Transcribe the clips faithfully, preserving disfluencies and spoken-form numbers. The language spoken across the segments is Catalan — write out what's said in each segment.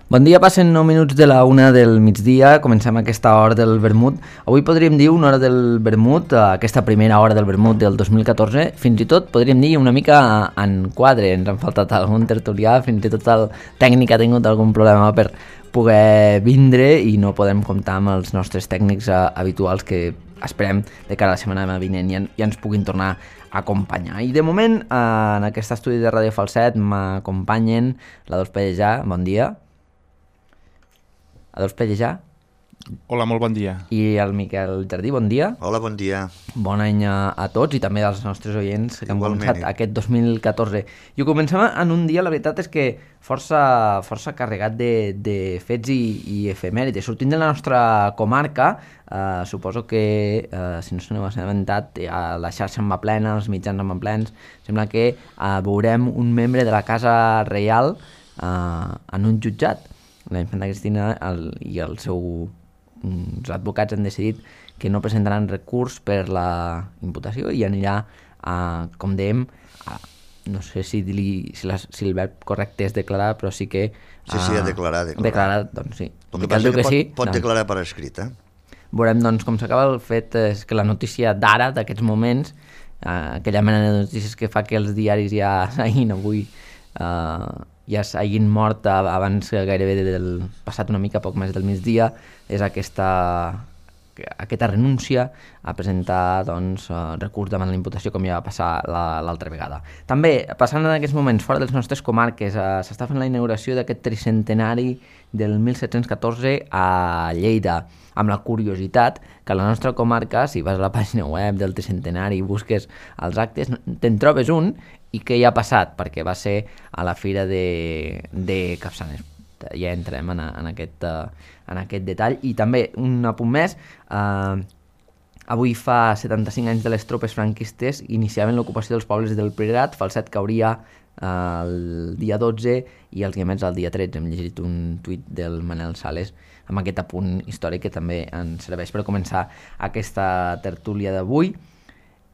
Bon dia, passen nou minuts de la una del migdia, comencem aquesta hora del vermut. Avui podríem dir una hora del vermut, aquesta primera hora del vermut del dos mil catorze, fins i tot podríem dir una mica en quadre, ens han faltat algun tertulià, fins i tot el tècnic ha tingut algun problema per poder vindre i no podem comptar amb els nostres tècnics uh, habituals que esperem de cara a la setmana vinent ja, ja ens puguin tornar a acompanyar. I de moment, uh, en aquest estudi de Ràdio Falset m'acompanyen la Dols Pellejà, bon dia. Adolf Pellejà. Hola, molt bon dia. I el Miquel Jardí, bon dia. Hola, bon dia. Bon any a, a tots i també als nostres oients que han començat aquest dos mil catorze. I ho comencem en un dia, la veritat és que força, força carregat de, de fets i, i efemèrides. Sortint de la nostra comarca, eh, suposo que, eh, si no se n'ho ha assabentat, la xarxa en va plena, els mitjans en va plens, sembla que eh, veurem un membre de la Casa Reial eh, en un jutjat. La infanta Cristina el, i el seu, els advocats han decidit que no presentaran recurs per la imputació i anirà, a, com dèiem, a, no sé si, li, si, la, si el verb correcte és declarar, però sí que... Sí, sí, a declarar. Declarar, declarar doncs sí. El que passa que, que pot, sí, pot doncs, declarar per escrit, eh? Veurem, doncs, com s'acaba. El fet és que la notícia d'ara, d'aquests moments, eh, aquella mena de notícies que fa que els diaris ja s'hagin avui... Eh, ja s'hagin mort abans gairebé del passat una mica, poc més del migdia, és aquesta, aquesta renúncia a presentar doncs, recurs davant la imputació, com ja va passar l'altra vegada. També, passant en aquests moments fora de les nostres comarques, eh, s'està fent la inauguració d'aquest tricentenari del mil set-cents catorze a Lleida, amb la curiositat que a la nostra comarca, si vas a la pàgina web del tricentenari i busques els actes, te'n trobes un i què hi ha passat, perquè va ser a la fira de, de Capçanes. Ja entrem en, en, aquest, en aquest detall. I també un apunt més, eh, avui fa setanta-cinc anys de les tropes franquistes iniciaven l'ocupació dels pobles del Priorat. Falset cauria eh, el dia dotze i els Guiamets el dia tretze. Hem llegit un tuit del Manel Sales amb aquest apunt històric que també ens serveix per començar aquesta tertúlia d'avui.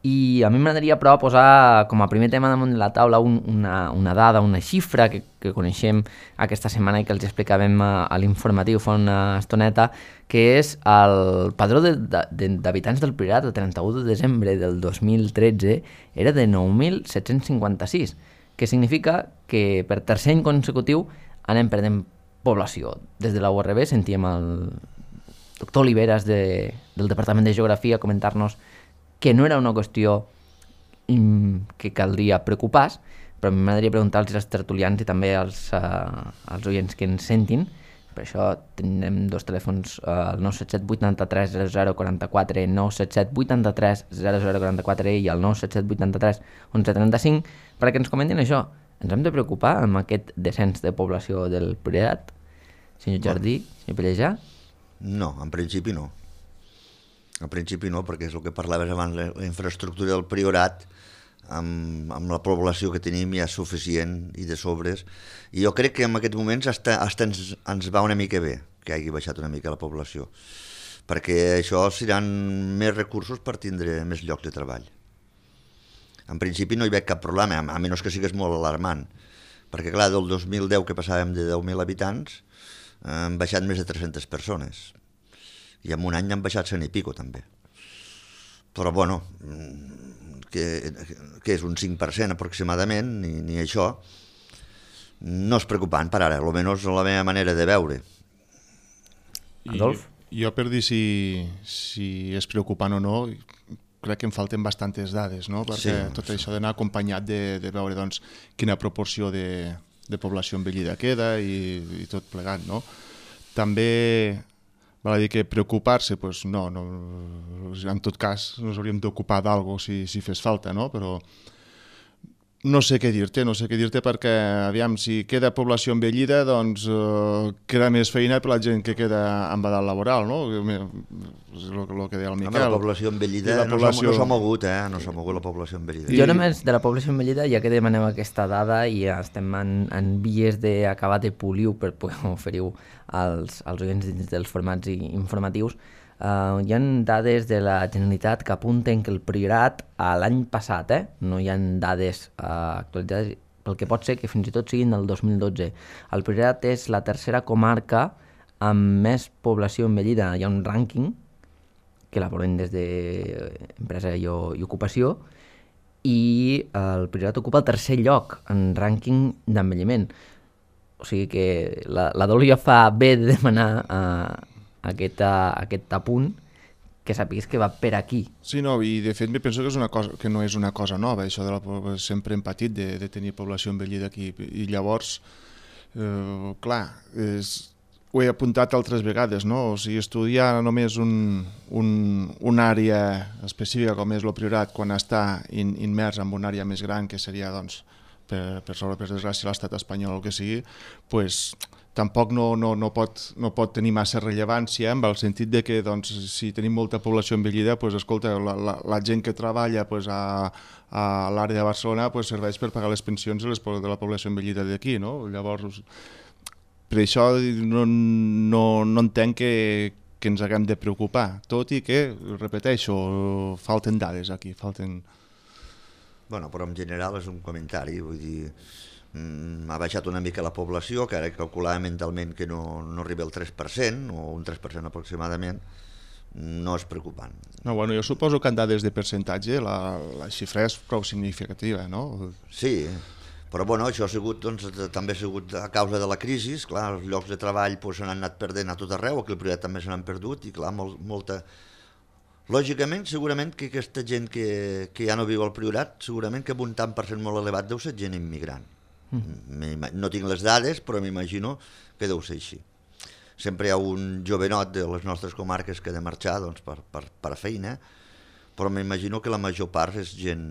I a mi m'agradaria però posar com a primer tema damunt de la taula un, una, una dada, una xifra que, que coneixem aquesta setmana i que els explicàvem a, a l'informatiu fa una estoneta, que és el padró de, de, d'habitants del Priorat el trenta-u de desembre del dos mil tretze era de nou mil set-cents cinquanta-sis, que significa que per tercer any consecutiu anem perdent població. Des de la U R B sentíem el doctor Oliveras de, del Departament de Geografia comentar-nos que no era una qüestió que caldria preocupar-se, però a mi m'agradaria preguntar-los als tertulians i també als, uh, als oients que ens sentin. Per això tenim dos telèfons, uh, el nou set set vuit tres zero zero quatre quatre, nou set set vuit tres zero zero quatre quatre i el nou set set vuit tres onze trenta-cinc, perquè ens comentin això. Ens hem de preocupar amb aquest descens de població del Priorat? Senyor Jardí, senyor Pellejà? No, en principi no. En principi no, perquè és el que parlaves abans, la infraestructura del Priorat, amb, amb la població que tenim ja és suficient i de sobres. I jo crec que en aquests moments hasta, hasta ens, ens va una mica bé que hagi baixat una mica la població, perquè això seran més recursos per tindre més llocs de treball. En principi no hi veig cap problema, a menys que sigués molt alarmant, perquè clar, del dos mil deu que passàvem de deu mil habitants, han baixat més de tres-centes persones. I en un any han baixat cent i pico també. Però bueno, que, que és un cinc per cent aproximadament, ni, ni això, no és preocupant per ara, almenys la meva manera de veure. Adolf? I, jo per dir si, si és preocupant o no, crec que em falten bastantes dades, no? Perquè sí, tot sí. Això d'anar acompanyat de, de veure doncs, quina proporció de, de població envellida queda i, i tot plegat, no? També... Val a dir que preocupar-se, doncs no, no, en tot cas ens hauríem d'ocupar d'algo si, si fes falta, no? Però no sé què dir-te, no sé què dir-te perquè, aviam, si queda població envellida, doncs eh, queda més feina per la gent que queda en edat laboral, no? És el, el que deia el Miquel. Home, la població envellida la població... no s'ha mogut, eh? No s'ha mogut la població envellida. Jo només de la població envellida, ja que demanem aquesta dada i ja estem en, en vies d'acabar de polir-ho per poder oferir-ho als, als oients dins dels formats informatius, Uh, hi ha dades de la Generalitat que apunten que el Priorat a l'any passat, eh, no hi ha dades uh, actualitzades, pel que pot ser que fins i tot siguin del dos mil dotze. El Priorat és la tercera comarca amb més població envellida. Hi ha un rànquing que elaboren des d'Empresa i, i Ocupació, i el Priorat ocupa el tercer lloc en rànquing d'envelliment. O sigui que la, la Dol ja fa bé de demanar uh, aquest, uh, aquest apunt, que sàpigues que va per aquí. Sí, no, i de fet me penso que, és una cosa, que no és una cosa nova, això de la, sempre hem patit de, de tenir població envellida aquí, i llavors, eh, clar, és, ho he apuntat altres vegades, no? O sigui, estudiar només un, un, una àrea específica com és el Priorat, quan està in, immers en una àrea més gran, que seria, doncs, per, per sobre, per desgràcia, l'estat espanyol o el que sigui, pues, tampoc no, no, no, pot, no pot tenir massa rellevància, en el sentit de que, doncs, si tenim molta població envellida, pues, escolta, la, la, la gent que treballa pues, a, a l'àrea de Barcelona pues, serveix per pagar les pensions de, les, de la població envellida d'aquí, no? Llavors, per això no, no, no entenc que, que ens haguem de preocupar, tot i que, repeteixo, falten dades aquí, falten... Bueno, però en general és un comentari, vull dir, mm, ha baixat una mica la població, que ara calculava mentalment que no, no arriba al tres per cent, o un tres per cent aproximadament, no és preocupant. No, bueno, jo suposo que en dades de percentatge la, la xifra és prou significativa, no? Sí, però bueno, això ha sigut, doncs, també ha sigut a causa de la crisi, clar, els llocs de treball pues, s'han anat perdent a tot arreu, aquí al Priorat també se n'han perdut, i clar, molt, molta... Lògicament, segurament que aquesta gent que, que ja no viu al Priorat, segurament que amb un tant per cent molt elevat deu ser gent immigrant. Mm. No tinc les dades, però m'imagino que deu ser així. Sempre hi ha un jovenot de les nostres comarques que ha de marxar doncs, per, per, per a feina, però m'imagino que la major part és gent,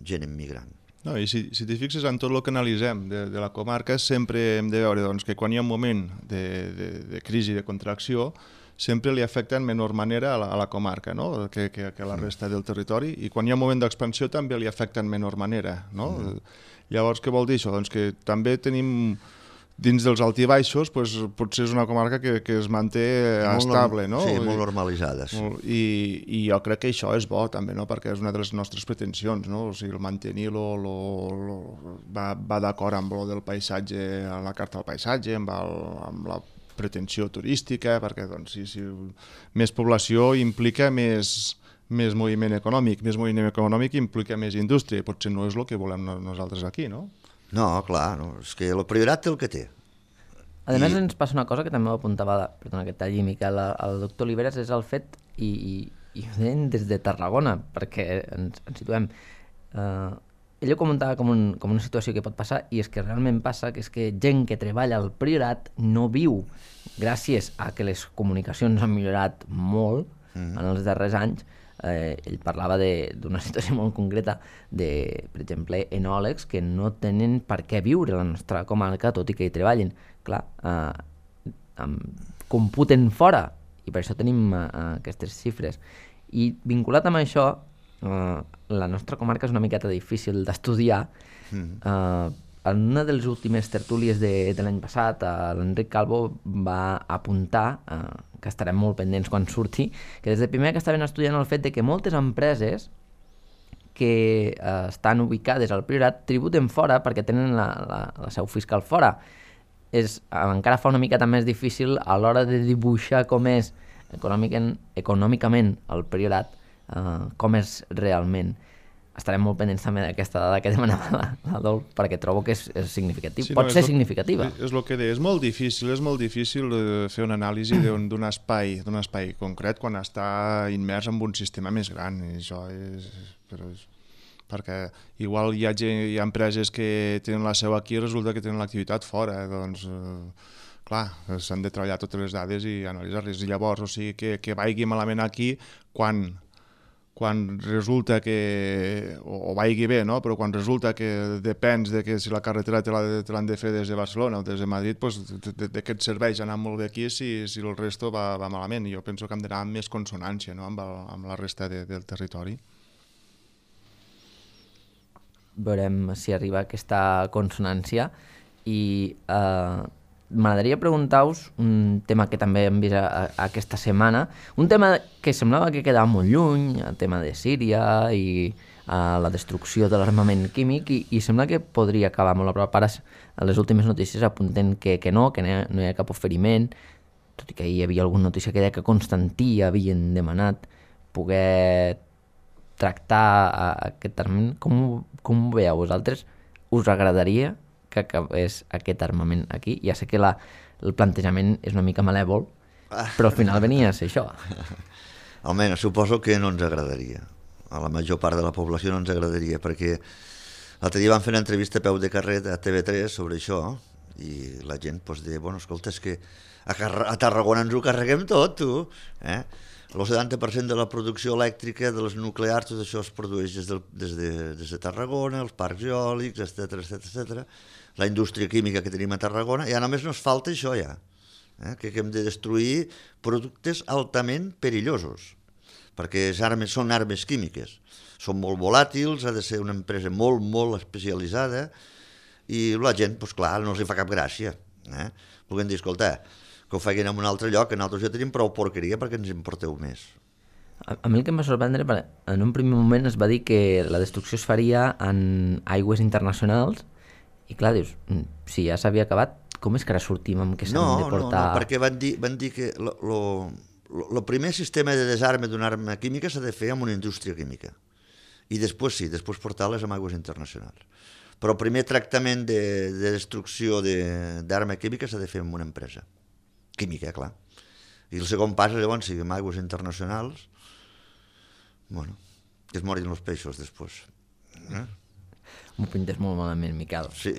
gent immigrant. No, i si, si t'hi fixes en tot el que analitzem de, de la comarca, sempre hem de veure doncs, que quan hi ha un moment de, de, de crisi, de contracció, sempre li afecta en menor manera a la, a la comarca, no? que, que, que la resta del territori, i quan hi ha un moment d'expansió també li afecta en menor manera. No? Mm. Llavors, què vol dir això? Doncs que també tenim, dins dels alts i baixos, pues, potser és una comarca que, que es manté molt estable. No? Sí, molt normalitzada. Sí. I, I jo crec que això és bo també, no? Perquè és una de les nostres pretensions, no? O sigui, el mantenir-lo lo, lo, va, va d'acord amb lo del paisatge, a la carta del paisatge, amb, el, amb la pretensió turística, perquè doncs, si, si més població implica més, més moviment econòmic, més moviment econòmic implica més indústria, i potser no és el que volem nosaltres aquí, no? No, clar, no. És que el Priorat té el que té. A més, I... ens passa una cosa que també ho apuntava, perdona que talli, Miquel, el doctor Oliveres, és el fet, i, i, i ho deien des de Tarragona, perquè ens, ens situem... Eh, ell ho comentava com, un, com una situació que pot passar, i és que realment passa que és que gent que treballa al Priorat no viu, gràcies a que les comunicacions han millorat molt mm. en els darrers anys. Eh, ell parlava d'una situació molt concreta de, per exemple, enòlegs que no tenen per què viure a la nostra comarca, tot i que hi treballin. Clar, eh, eh, computen fora, i per això tenim eh, aquestes xifres. I vinculat amb això, Uh, la nostra comarca és una miqueta difícil d'estudiar. Mm. Uh, en una de les últimes tertúlies de, de l'any passat, uh, l'Enric Calvo va apuntar, uh, que estarem molt pendents quan surti, que des de primer que estaven estudiant el fet de que moltes empreses que uh, estan ubicades al Priorat tributen fora perquè tenen la, la, la seu fiscal fora. És, uh, encara fa una miqueta més difícil a l'hora de dibuixar com és econòmicament, econòmicament el Priorat, Uh, com és realment. Estarem molt pendents també d'aquesta dada que demanava la, la Dol, perquè trobo que és, és significatiu. Sí, Pot no, ser lo, significativa. És, és el que deia, és molt difícil, és molt difícil fer una anàlisi d'un espai, d'un espai concret quan està immers en un sistema més gran. I això és, però és, perquè igual hi ha, gent, hi ha empreses que tenen la seu aquí i resulta que tenen l'activitat fora. Doncs, eh, clar, s'han de treballar totes les dades i analitzar-les. I llavors, o sigui, que, que vagi malament aquí quan... quan resulta que, o, o vagi bé, no? Però quan resulta que depens de que si la carretera te l'han de fer des de Barcelona o des de Madrid, doncs de, de què et serveix anar molt bé aquí si, si el resto va, va malament. I jo penso que hem d'anar amb més consonància, no? amb, el, amb la resta de, del territori. Veurem si arriba aquesta consonància i eh, m'agradaria preguntar-vos un tema que també hem vist a, a, aquesta setmana, un tema que semblava que quedava molt lluny, el tema de Síria i a la destrucció de l'armament químic, i, i sembla que podria acabar molt a prop. Ara a les últimes notícies apunten que, que no, que no hi, ha, no hi ha cap oferiment, tot i que hi havia alguna notícia que deia que Constantí havien demanat poder tractar a, a aquest armament. Com, com ho veieu vosaltres? Us agradaria que acabés aquest armament aquí? Ja sé que la, el plantejament és una mica malèvol, però al final venia a ser això. Almenys, suposo que no ens agradaria. A la major part de la població no ens agradaria, perquè l'altre dia van fer una entrevista a peu de carrer a T V tres sobre això, i la gent pues, deia, bueno, escolta, és que a, a Tarragona ens ho carreguem tot, tu. Eh? El setanta per cent de la producció elèctrica de les nuclears, tot això es produeix des de, des de, des de Tarragona, els parcs eòlics, etcètera, etcètera, etcètera. La indústria química que tenim a Tarragona, ja només nos falta això ja, eh? que hem de destruir productes altament perillosos, perquè armes, són armes químiques, són molt volàtils, ha de ser una empresa molt, molt especialitzada, i la gent, doncs clar, no els hi fa cap gràcia. Eh? Puguem dir, escolta, que ho facin en un altre lloc, que nosaltres ja tenim prou porqueria perquè ens importeu més. A, a mi el que em va sorprendre, en un primer moment es va dir que la destrucció es faria en aigües internacionals, i clar, dius, si ja s'havia acabat, com és que ara sortim amb que s'han no, de portar... No, no, perquè van dir, van dir que el primer sistema de desarme d'una arma química s'ha de fer amb una indústria química. I després sí, després portar-les amb aigües internacionals. Però el primer tractament de, de destrucció d'arma química s'ha de fer amb una empresa química, clar. I el segon pas, llavors, si amb aigües internacionals, bueno, que es morin els peixos després. Eh? M'ho pintes molt malament, Miquel. Sí,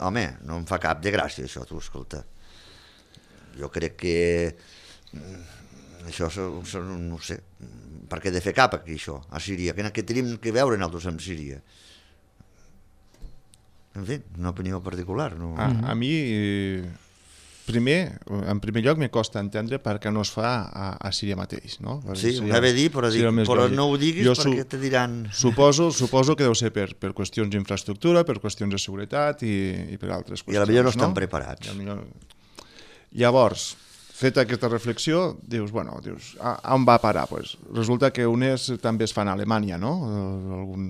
home, no em fa cap de gràcia això, tu, escolta. Jo crec que això, no ho sé, per què de fer cap aquí, això, a Síria? Què tenim que veure nosaltres amb Síria? En fi, una opinió particular. No? A, a mi... Primer, en primer lloc, me costa entendre per què no es fa a, a Síria mateix, no? Sí, ho anava a dir, però, dic, però no ho diguis jo perquè te diran... Suposo, suposo que deu ser per, per qüestions d'infraestructura, per qüestions de seguretat i, i per altres qüestions. I potser no estan no? preparats. Millor... Llavors, feta aquesta reflexió, dius, bueno, dius, a, a on va parar? Pues, resulta que unes també es fan a Alemanya, no? Algun...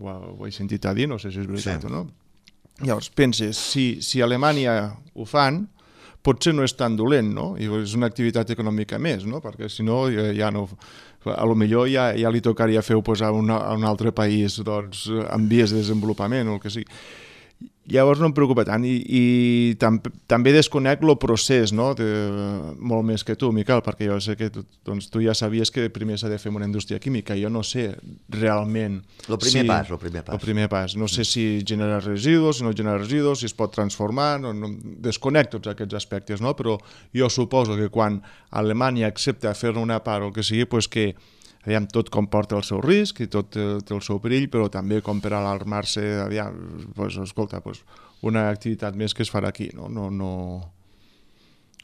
Ho, ho he sentit a dir, no sé si és veritat sí. o no. Llavors, penses, si, si a Alemanya ho fan, potser no és tan dolent, no? I és una activitat econòmica més, no? Perquè si no, ja, ja no... A lo millor ja, ja li tocaria fer-ho pues, a, una, a un altre país doncs, en vies de desenvolupament o el que sigui. Llavors no em preocupa tant i, i tam, també desconec el procés, no? De, molt més que tu, Miquel, perquè jo sé que tu, doncs, tu ja sabies que primer s'ha de fer una indústria química. Jo no sé realment... El primer si, pas, el primer pas. El primer pas. No sé si genera residus, si no genera residus, si es pot transformar, no, no, desconec tots aquests aspectes, no? Però jo suposo que quan Alemanya accepta fer-ne una part o el que sigui, pues que aviam, tot comporta el seu risc i tot té, té el seu perill, però també com per alarmar-se, aviam, pues, escolta, pues, una activitat més que es farà aquí, no? No, no...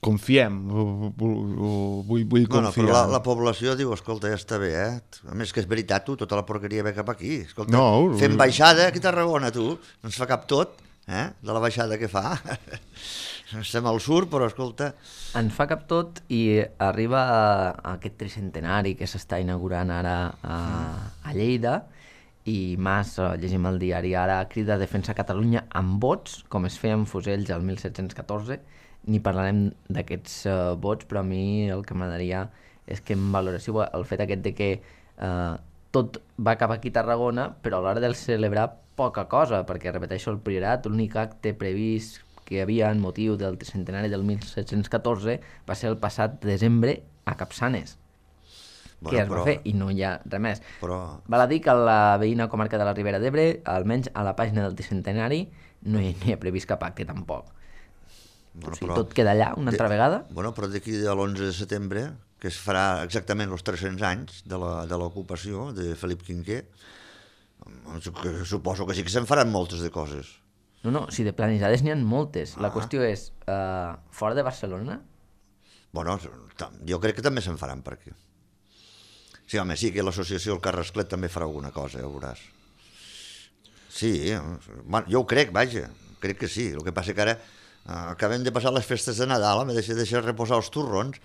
Confiem, vull, vull confiar. No, no, però la, la població diu, escolta, ja està bé, eh? A més que és veritat, tu, tota la porqueria ve cap aquí. Escolta, no, fem baixada aquí a Tarragona, tu, no ens fa cap tot, eh? De la baixada que fa. Estem al sur, però escolta... Ens fa cap tot i arriba a, a aquest tricentenari que s'està inaugurant ara a, a Lleida i Mas, llegim el diari ara, crida a defensar Catalunya amb vots, com es feia amb fusells el mil set-cents catorze. Ni parlarem d'aquests uh, vots, però a mi el que m'agradaria és que em valoréssiu el fet aquest de que uh, tot va cap aquí a Tarragona, però a l'hora de celebrar poca cosa, perquè, repeteixo, el Priorat, l'únic acte previst que hi havia en motiu del tricentenari del mil set-cents catorze va ser el passat desembre a Capçanes, bueno, que es però, va fer i no hi ha res més. Però... Val a dir que a la veïna comarca de la Ribera d'Ebre, almenys a la pàgina del tricentenari, no hi, no hi ha previst cap acte tampoc. Bueno, o sigui, però... tot queda allà una altra de... vegada. Bueno, però d'aquí a l'onze de setembre, que es farà exactament els tres-cents anys de l'ocupació de, de Felip Quinquer, suposo que sí que se'n faran moltes de coses. No, no, si de planejades n'hi ha moltes. Ah. La qüestió és, uh, fora de Barcelona? Bueno, jo crec que també se'n faran per aquí. Sí, home, sí que l'associació El Carrasclet també farà alguna cosa, ja ho veuràs. Sí, bueno, jo ho crec, vaja, crec que sí. El que passa que ara acabem de passar les festes de Nadal, m'he deixat deixar reposar els turrons,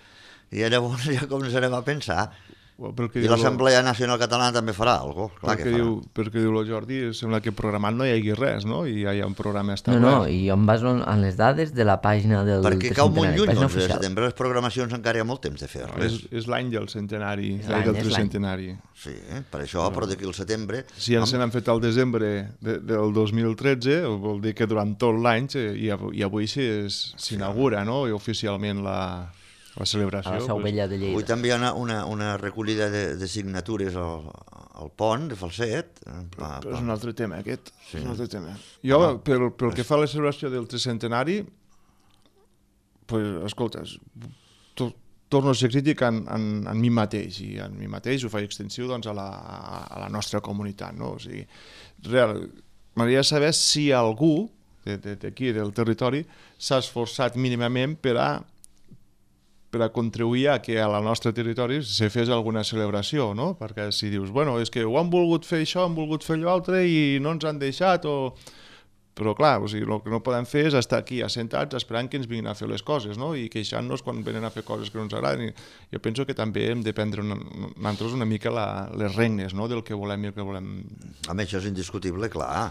i llavors ja començarem a pensar. I l'Assemblea Nacional Catalana també farà alguna cosa, clar que farà. Perquè diu el Jordi, sembla que programat no hi hagi res, no? I ja hi ha un programa establert. No, no, i jo em baso en les dades de la pàgina del Perquè cau molt lluny, l'onze de setembre, les programacions encara hi ha molt temps de fer-les. És l'any del centenari, l'any del tricentenari. Sí, per això, però d'aquí al setembre... Si ja se n'han fet al desembre del dos mil tretze, vol dir que durant tot l'any, i avui s'inaugura, no?, oficialment la... la celebració. A la Seu Vella de Lleida. Avui també hi ha una, una, una recollida de, de signatures al, al pont de Falset. Pa, pa. Però és un altre tema, aquest. Sí. És un altre tema. Jo, ah, pel, pel que fa a la celebració del tricentenari, pues, escolta, to, torno a ser crític en, en, en mi mateix, i en mi mateix ho faig extensiu doncs, a, la, a la nostra comunitat. No? O sigui, real, m'agradaria saber si algú d'aquí, del territori, s'ha esforçat mínimament per a per a contribuir a que a la nostre territori se fes alguna celebració, no? Perquè si dius, bueno, és que ho han volgut fer això, han volgut fer allò altre i no ens han deixat, o... però clar, o sigui, el que no podem fer és estar aquí assentats esperant que ens vinguin a fer les coses, no? I queixant-nos quan venen a fer coses que no ens agraden. I jo penso que també hem de prendre una, nosaltres una mica la, les regnes, no?, del que volem i el que volem... A més, això és indiscutible, clar.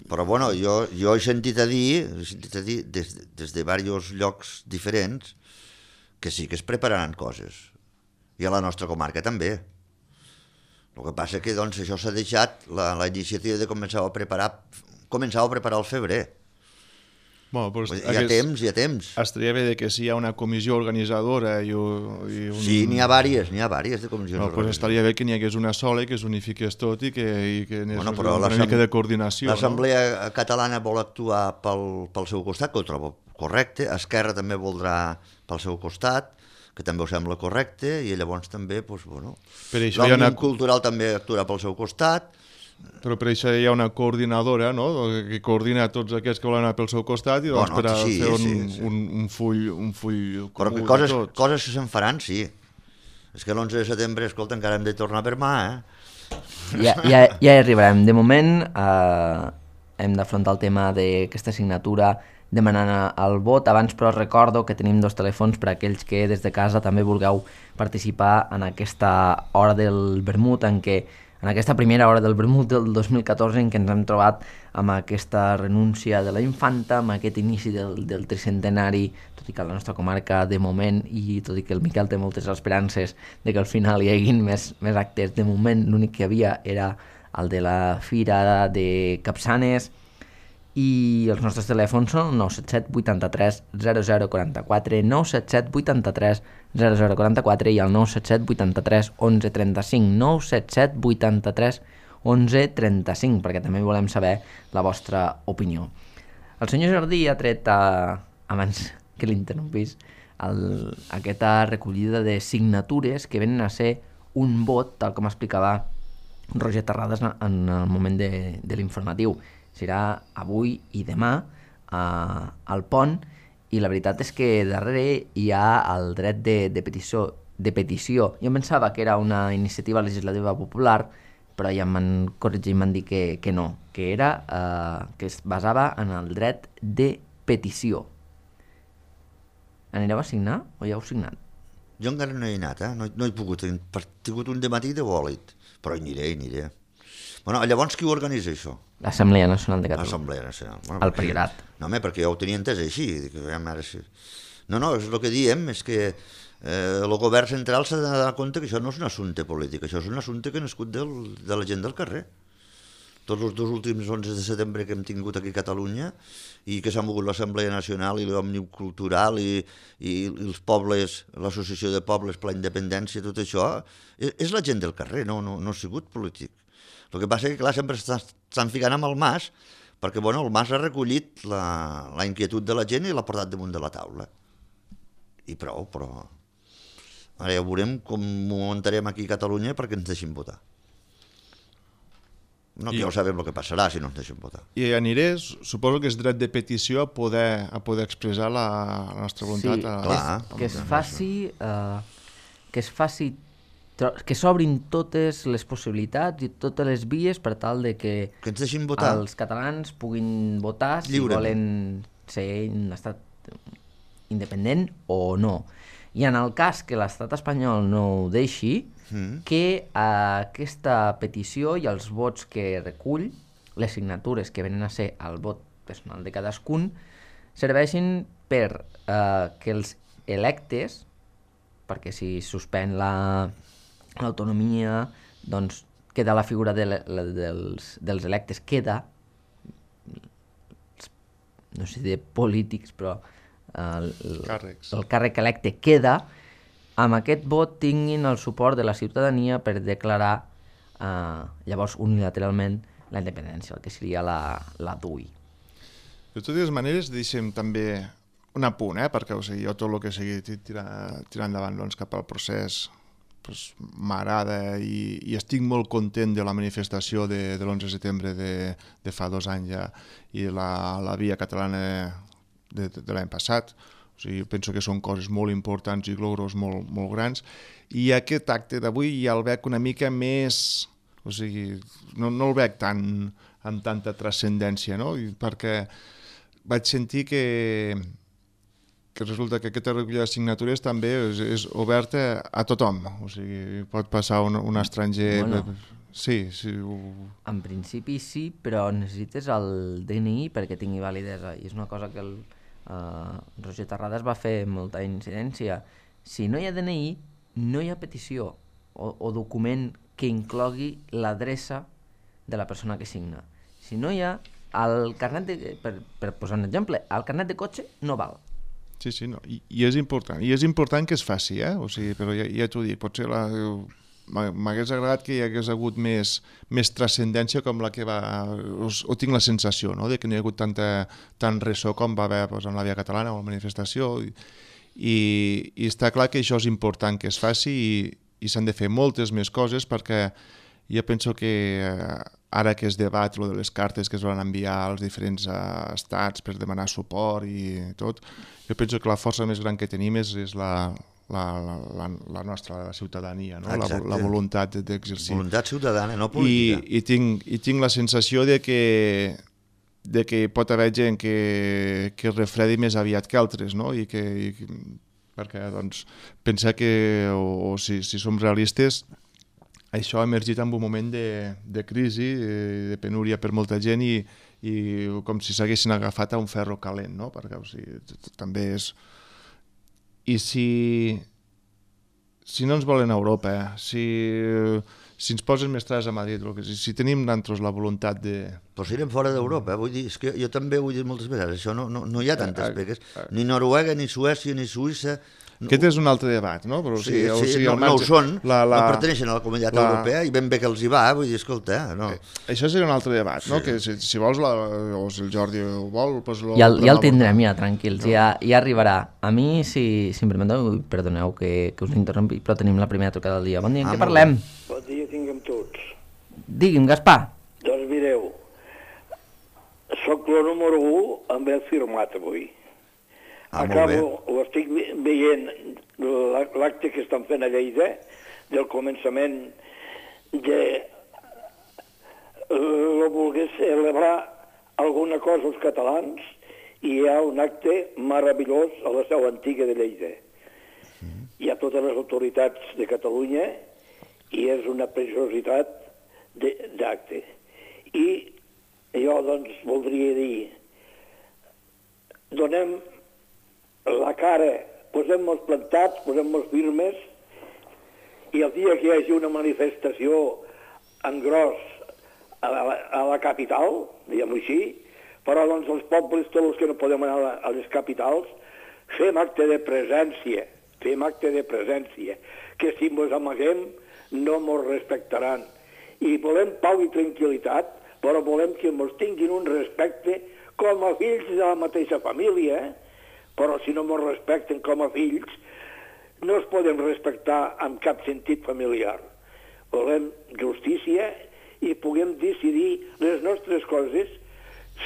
Però bueno, jo, jo he sentit a dir, he sentit a dir des, des de diversos llocs diferents que sí que es prepararan coses. I a la nostra comarca també. El que passa que doncs, això s'ha deixat la, la iniciativa de començar a preparar començar a preparar el febrer. Bueno, pues, hi ha temps, hi ha temps. Estaria bé que si hi ha una comissió organitzadora i, i un... Sí, n'hi ha vàries, n'hi ha vàries de comissions no, pues estaria bé que n'hi hagués una sola i que s'unifiqués tot i que, i que n'hi bueno, una mica de coordinació. L'Assemblea no? Catalana vol actuar pel, pel seu costat, que ho trobo correcte. Esquerra també voldrà pel seu costat, que també ho sembla correcte, i llavors també, doncs, bueno, l'Òmnium una... Cultural també actuarà pel seu costat. Però per això hi ha una coordinadora, no?, que coordina tots aquests que volen anar pel seu costat i doncs bueno, per a sí, fer un, sí, sí. Un, un full, un full però comú coses, de tots. Coses que se'n faran, sí. És que l'onze de setembre, escolta, encara hem de tornar per mà, eh? Ja, ja, ja hi arribarem. De moment eh, hem d'afrontar el tema d'aquesta assignatura demanant el vot. Abans, però, recordo que tenim dos telèfons per a aquells que des de casa també vulgueu participar en aquesta hora del vermut, en què en aquesta primera hora del vermut del dos mil catorze, en què ens hem trobat amb aquesta renúncia de la infanta, amb aquest inici del, del tricentenari, tot i que a la nostra comarca de moment, i tot i que el Miquel té moltes esperances de que al final hi haguin més, més actes, de moment l'únic que hi havia era el de la Fira de Capçanes, i els nostres telèfons són nou set set vuitanta-tres zero zero quaranta-quatre, nou set set vuitanta-tres zero zero quaranta-quatre i el nou set set vuitanta-tres onze trenta-cinc, nou set set vuitanta-tres onze trenta-cinc, perquè també volem saber la vostra opinió. El senyor Jordi ha tret, a, abans que l'interrompís, el, aquesta recollida de signatures que venen a ser un vot, tal com explicava Roger Terrades en el moment de, de l'informatiu. Serà avui i demà eh, al pont, i la veritat és que darrere hi ha el dret de, de, petició, de petició. Jo pensava que era una iniciativa legislativa popular, però ja m'han corregit i m'han dit que, que no, que era eh, que es basava en el dret de petició. Anireu a signar o ja heu signat? Jo encara no he anat, eh? no, no he pogut, he tingut un dematí de bòlit, però hi aniré, hi aniré. Bueno, llavors qui ho organitza això? L'Assemblea Nacional de Catalunya. L'Assemblea Nacional. Bueno, el Priorat. No, home, perquè jo ho tenia entès així. Ara sí. No, no, és el que diem, és que eh, el govern central s'ha de donar compte que això no és un assumpte polític, això és un assumpte que ha nascut del, de la gent del carrer. Tots els dos últims onze de setembre que hem tingut aquí a Catalunya i que s'ha mogut l'Assemblea Nacional i l'Òmnium Cultural i, i, i els pobles, l'Associació de Pobles per la Independència, tot això, és, és la gent del carrer, no, no, no ha sigut polític. El que passa és que, clar, sempre estan ficant amb el Mas, perquè, bueno, el Mas ha recollit la, la inquietud de la gent i l'ha portat damunt de la taula. I prou, però... Ara ja veurem com ho muntarem aquí a Catalunya perquè ens deixin votar. No, que I... ja ho sabem el que passarà si no ens deixen votar. I anirés, suposo que és dret de petició a poder, a poder expressar la, la nostra voluntat. Sí, a... clar. Que, que es faci... Uh, que es faci que s'obrin totes les possibilitats i totes les vies per tal de que, que ens deixin votar. Els catalans puguin votar si volen ser un estat independent o no. I en el cas que l'estat espanyol no ho deixi, mm. que aquesta petició i els vots que recull, les signatures que venen a ser el vot personal de cadascun, serveixin per eh, que els electes, perquè si suspèn la, l'autonomia, doncs queda la figura de le, la, dels, dels electes, queda, no sé de polítics, però el, el, el càrrec electe queda, amb aquest vot tinguin el suport de la ciutadania per declarar eh, llavors unilateralment la independència, el que seria la, la D U I. De totes maneres, deixem també un apunt, eh? Perquè o sigui, jo tot el que sigui tirar, tirar endavant doncs, cap al procés pues, m'agrada i, i estic molt content de la manifestació de, de l'onze de setembre de, de fa dos anys ja i la, la via catalana de, de, de l'any passat. O sigui, penso que són coses molt importants i logros molt, molt grans i aquest acte d'avui ja el veig una mica més... O sigui, no, no el veig tant, amb tanta transcendència, no? I perquè vaig sentir que, que resulta que aquesta recollida de signatures també és, és oberta a tothom. O sigui, pot passar un, un estranger... Bueno, sí, sí. Ho... En principi sí, però necessites el D N I perquè tingui validesa. I és una cosa que el uh, Roger Terrades va fer molta incidència. Si no hi ha D N I, no hi ha petició o, o document que inclogui l'adreça de la persona que signa. Si no hi ha, el carnet de, per, per posar un exemple, el carnet de cotxe no val. Sí, sí, no. I, i és important. I és important que es faci, eh? O sigui, però ja, ja t'ho dic, potser la... m'hagués agradat que hi hagués hagut més, més transcendència com la que va... O, o tinc la sensació, no?, de que no hi ha hagut tanta, tant ressò com va haver pues, en la via catalana o la manifestació i, i, i està clar que això és important que es faci i i s'han de fer moltes més coses perquè jo penso que eh, ara que es debat lo de les cartes que es van enviar als diferents eh, estats per demanar suport i tot, jo penso que la força més gran que tenim és, és la, la, la, la nostra la ciutadania, no? la, la voluntat d'exercir. Voluntat ciutadana, no política. I, i, tinc, i tinc la sensació de que, de que pot haver gent que, que es refredi més aviat que altres, no? I que... I, perquè doncs, pensa que, o, o si, si som realistes, això ha emergit en un moment de, de crisi, de penúria per molta gent i, i com si s'haguessin agafat a un ferro calent, no? Perquè o sigui, també és... I si, si no ens volen a Europa, eh? si, si ens posen més traves a Madrid, si, si tenim nosaltres la voluntat de... Però si anem fora d'Europa, eh? Vull dir, és que jo també ho he dit moltes vegades, això no, no, no hi ha tantes pegues, ni Noruega, ni Suècia, ni Suïssa... No. Aquest és un altre debat, no? Però, sí, sí, o sigui, no, no ho són, la, la, no perteneixen a la comunitat la, europea i ben bé que els hi va, vull dir, escolta... No. Això seria un altre debat, sí. No? Que si, si vols, la, o si el Jordi ho vol... Pues lo, ja, ja el tindrem, ja, tranquils, no. ja, ja arribarà. A mi, si, si em permeteu, perdoneu que, que us interrompi, però tenim la primera trucada del dia. Bon dia, en ah, què parlem? Bon dia tinguem tots. Digui'm, Gaspar. Doncs mireu, soc el número u amb el firmat avui. Ah, acabo, ho estic veient l'acte que estan fent a Lleida del començament de lo volgués celebrar alguna cosa als catalans i hi ha un acte meravellós a la seu antiga de Lleida. Hi ha totes les autoritats de Catalunya i és una preciositat d'acte. I jo doncs voldria dir, donem la cara, posem-nos plantats, posem-nos firmes i el dia que hi hagi una manifestació en gros a la, a la capital, diguem-ho així, però doncs els pobles, tots els que no podem anar a les capitals, fem acte de presència, fem acte de presència, que si ens amaguem no ens respectaran. I volem pau i tranquil·litat, però volem que ens tinguin un respecte com a fills de la mateixa família, eh? Però si no ens respecten com a fills, no es poden respectar amb cap sentit familiar. Volem justícia i puguem decidir les nostres coses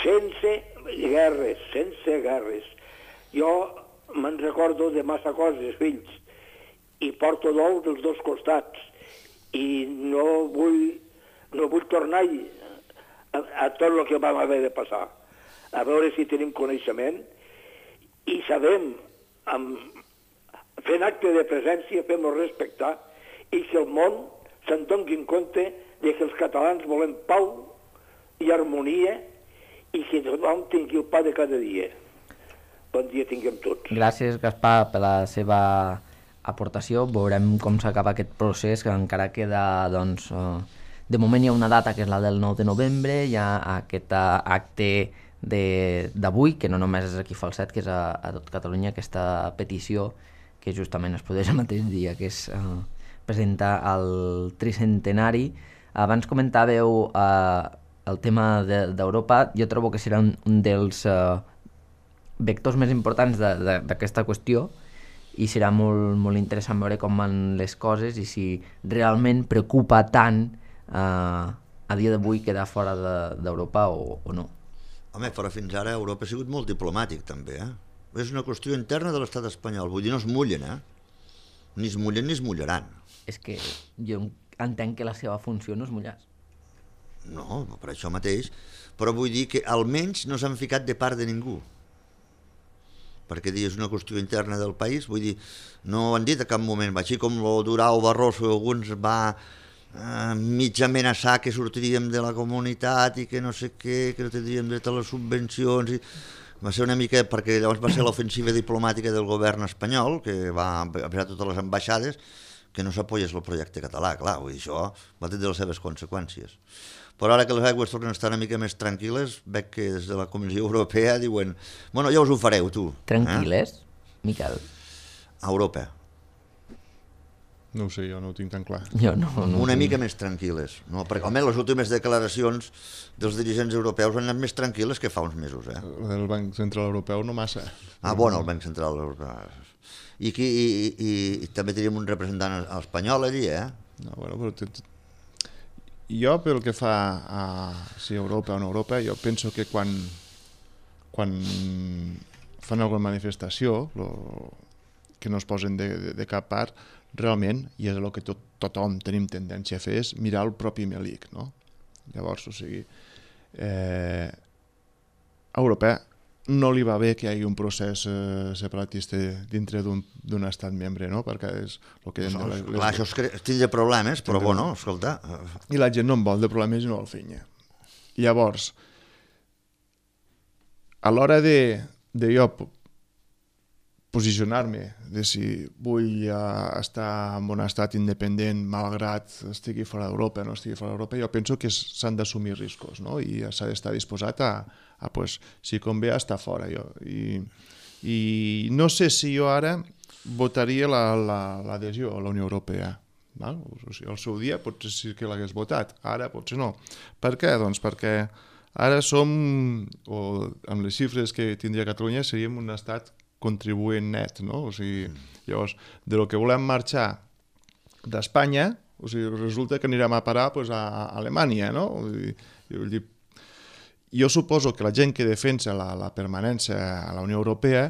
sense guerres, sense guerres. Jo me'n recordo de massa coses, fills, i porto dol dels dos costats, i no vull, no vull tornar a, a tot el que vam haver de passar. a veure si tenim coneixement i sabem, amb, fent acte de presència, fem-lo respectar i que el món se'n doni en compte de que els catalans volem pau i harmonia i que tothom tingui el pa de cada dia. Bon dia tinguem tots. Gràcies, Gaspar, per la seva aportació. Veurem com s'acaba aquest procés, que encara queda, doncs, eh, de moment hi ha una data que és la del nou de novembre, hi ha aquest acte d'avui, que no només és aquí Falset, que és a, a tot Catalunya, aquesta petició que justament es produeix el mateix dia, que es eh, presenta el tricentenari. Abans comentàveu eh, el tema d'Europa. De, jo trobo que serà un, un dels eh, vectors més importants d'aquesta qüestió i serà molt, molt interessant veure com van les coses i si realment preocupa tant eh, a dia d'avui quedar fora d'Europa de, o, o no. Home, però fins ara Europa ha sigut molt diplomàtic també, eh? És una qüestió interna de l'estat espanyol, vull dir, no es mullen, eh? Ni es mullen ni es mullaran. És que jo entenc que la seva funció no és mullar. No, per això mateix, però vull dir que almenys no s'han ficat de part de ningú. Perquè és una qüestió interna del país, vull dir, no ho han dit a cap moment, així com el Durao Barroso alguns va eh, mig amenaçar que sortiríem de la comunitat i que no sé què, que no tindríem dret a les subvencions, i va ser una mica, perquè llavors va ser l'ofensiva diplomàtica del govern espanyol, que va avisar totes les ambaixades que no s'apoyés el projecte català, clar, vull dir, això va tenir les seves conseqüències. Però ara que les aigües tornen a estar una mica més tranquil·les, veig que des de la Comissió Europea diuen bueno, ja us ho fareu, tu. Tranquil·les, eh? Miquel? A Europa. No ho sé, jo no ho tinc tan clar. Jo no, no una tinc. mica més tranquil·les. No? Perquè, home, les últimes declaracions dels dirigents europeus han anat més tranquil·les que fa uns mesos. Eh? El Banc Central Europeu no massa. Ah, bueno, el Banc Central Europeu. I, aquí, i, i, i també tenim un representant espanyol allí, eh? No, bueno, però t- t- jo, pel que fa a si Europa o no Europa, jo penso que quan, quan fan alguna manifestació, lo, que no es posen de, de, de cap part, realment, i és el que tot, tothom tenim tendència a fer, és mirar el propi melic, no? Llavors, o sigui, eh, a Europa no li va bé que hi hagi un procés eh, separatista dintre d'un estat membre, no? Perquè és el que... Això, les, clar, això és tindre problemes, però bueno, escolta... I la gent no en vol de problemes i no el fenya. Llavors, a l'hora de, de jo posicionar-me, de si vull uh, estar en un estat independent malgrat estigui fora d'Europa o no estigui fora d'Europa, jo penso que s'han d'assumir riscos, no? I s'ha d'estar disposat a, a pues, si convé, a estar fora. Jo. I, I no sé si jo ara votaria l'adhesió la, la, a la Unió Europea. Val? O sigui, al seu dia potser sí que l'hagués votat, ara potser no. Per què? Doncs perquè ara som, o amb les xifres que tindria Catalunya, seríem un estat contribuent net, no? O sigui, llavors, de lo que volem marxar d'Espanya, o sigui, resulta que anirem a parar pues, a Alemanya, no? Jo, vull dir, jo suposo que la gent que defensa la, la permanència a la Unió Europea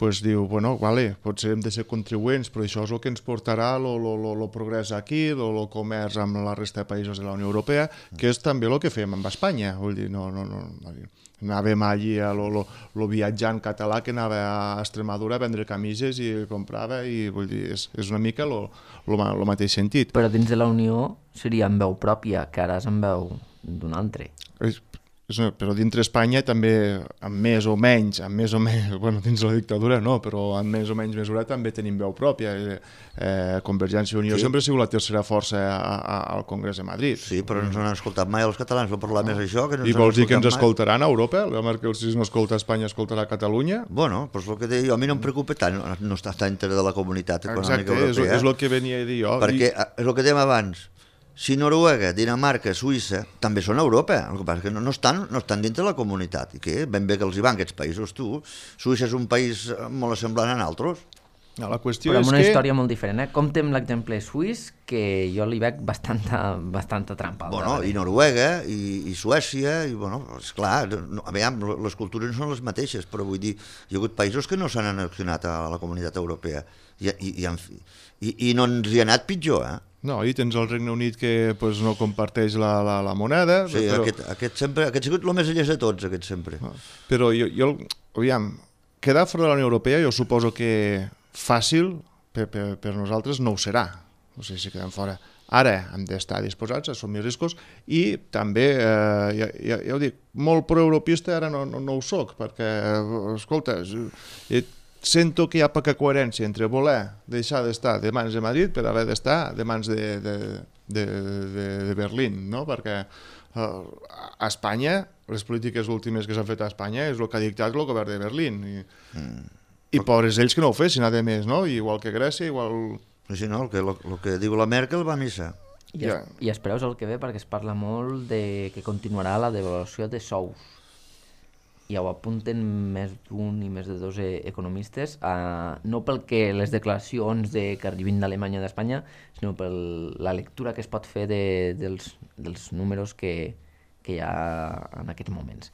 pues, diu, bueno, vale, potser hem de ser contribuents, però això és el que ens portarà el progrés aquí, el comerç amb la resta de països de la Unió Europea, que és també el que fem amb Espanya. Vull dir, no, no, no, anàvem allí a lo, lo, lo viatjant català que anava a Extremadura a vendre camises i comprava, i vull dir, és, és una mica el mateix sentit. Però dins de la Unió seria amb veu pròpia, que ara és amb veu d'un altre. És, és una, però dintre Espanya també, amb més o menys, amb més o menys, bueno, dins la dictadura no, però amb més o menys mesura també tenim veu pròpia. Eh, eh, Convergència i Unió sí. Sempre ha sigut la tercera força a, a, al Congrés de Madrid. Sí, però no ens han escoltat mai els catalans, va parlar no. més això. Que no I vols dir que ens escoltaran a Europa? Que si no escolta Espanya, escoltarà Catalunya? Bueno, doncs el que deia jo, a mi no em preocupa tant, no està dintre de la comunitat econòmica Exacte, europea. Exacte, és el que venia a dir jo. Perquè i... és el que dèiem abans, si Noruega, Dinamarca, Suïssa també són a Europa, el que passa és que no, no, estan, no estan dintre de la comunitat, i que ben bé que els hi van aquests països, tu. Suïssa és un país molt semblant a altres. No, la qüestió però és amb una que... història molt diferent, eh? Compte amb l'exemple suís, que jo li veig bastanta, bastanta trampa. Bueno, i Noruega, i, i Suècia, i bueno, esclar, no, a veure, les cultures no són les mateixes, però vull dir, hi ha hagut països que no s'han annexionat a la comunitat europea, i, i, i, i, i no ens hi ha anat pitjor, eh? No, i tens el Regne Unit que pues, no comparteix la, la, la moneda. Sí, però... aquest, aquest sempre, aquest ha sigut el més llest de tots, aquest sempre. Però jo, jo aviam, quedar fora de la Unió Europea jo suposo que fàcil per, per, per nosaltres no ho serà. No sé si quedem fora. Ara hem d'estar disposats a assumir riscos i també, eh, ja, ja, ja ho dic, molt proeuropista ara no, no, no ho soc, perquè, escolta, sento que hi ha poca coherència entre voler deixar d'estar de mans de Madrid per haver d'estar de mans de, de, de, de, de Berlín, no? Perquè eh, a Espanya, les polítiques últimes que s'han fet a Espanya és el que ha dictat el govern de Berlín. I, mm. i pobres ells que no ho fessin, a més, no? Igual que Grècia, igual... Sí, no, el que, el, el que diu la Merkel va a missa. I, es, I espereu el que ve, perquè es parla molt de que continuarà la devaluació de sous. I ho apunten més d'un i més de dos economistes, eh, no pel que les declaracions de que arribin d'Alemanya i d'Espanya, sinó per la lectura que es pot fer de, dels, dels números que, que hi ha en aquests moments.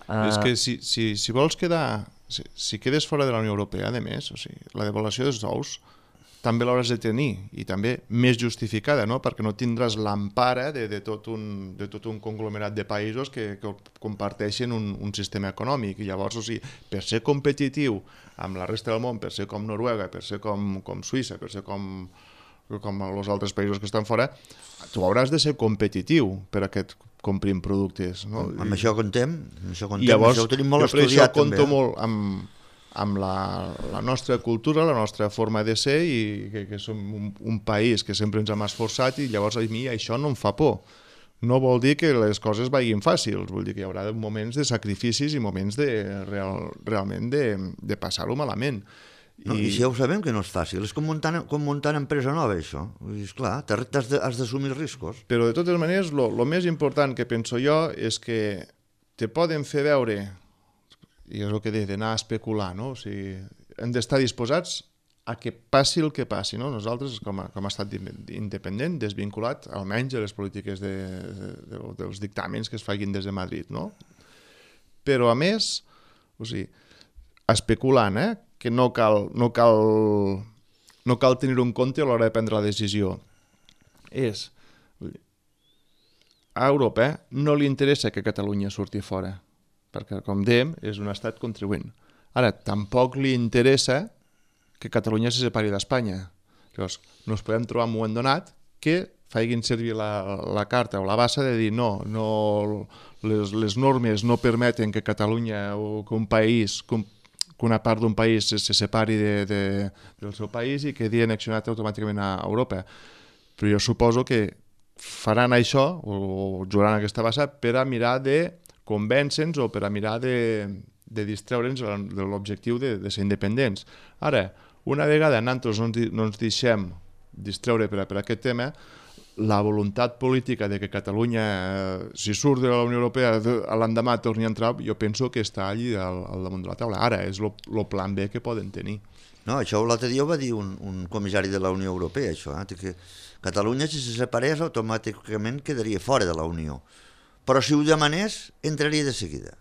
Uh... És que si, si, si vols quedar, si, si quedes fora de la Unió Europea, a més, o sigui, la devaluació dels sous també l'hauràs de tenir, i també més justificada, no? Perquè no tindràs l'empara de, de, tot un, de tot un conglomerat de països que, que comparteixen un, un sistema econòmic, i llavors, o sigui, per ser competitiu amb la resta del món, per ser com Noruega, per ser com, com Suïssa, per ser com, com els altres països que estan fora, tu hauràs de ser competitiu per a que et comprin productes, no? Amb I, això contem, amb això contem, i llavors, això ho tenim molt jo per estudiat això compto també. molt amb... amb la, la nostra cultura, la nostra forma de ser, i que, que som un, un país que sempre ens hem esforçat, i llavors a mi això no em fa por. No vol dir que les coses vagin fàcils, vull dir que hi haurà moments de sacrificis i moments de, real, realment de, de passar-ho malament. No, I, I si ja ho sabem que no és fàcil, és com muntar, com muntar una empresa nova, això. I esclar, has d'assumir riscos. Però de totes maneres, el més important que penso jo és que te poden fer veure, i és el que deia, d'anar a especular, no? O sigui, hem d'estar disposats a que passi el que passi, no? Nosaltres, com a, com a estat independent, desvinculat, almenys a les polítiques de, de, de, dels dictàmens que es facin des de Madrid, no? Però, a més, o sigui, especulant, eh? Que no cal, no cal, no cal tenir-ho en compte a l'hora de prendre la decisió. És, a Europa eh, no li interessa que Catalunya surti fora, perquè, com dèiem, és un estat contribuent. Ara, tampoc li interessa que Catalunya se separi d'Espanya. Llavors, no ens podem trobar en un moment donat que facin servir la, la carta o la bassa de dir no, no les, les normes no permeten que Catalunya o que un país, que, un, que una part d'un país se, se separi de, de, del seu país i quedi annexionat automàticament a Europa. Però jo suposo que faran això, o jugaran aquesta bassa, per a mirar de convèncer-nos o per a mirar de, de distreure'ns de l'objectiu de, de ser independents. Ara, una vegada nosaltres no, no ens deixem distreure per a, per a aquest tema, la voluntat política de que Catalunya, eh, si surt de la Unió Europea, l'endemà torni a entrar, jo penso que està allí al, al damunt de la taula. Ara, és el plan B que poden tenir. No, això l'altre dia ho va dir un, un comissari de la Unió Europea, això, eh? Que Catalunya, si se separés, automàticament quedaria fora de la Unió. Però si ho demanés, entraria de seguida.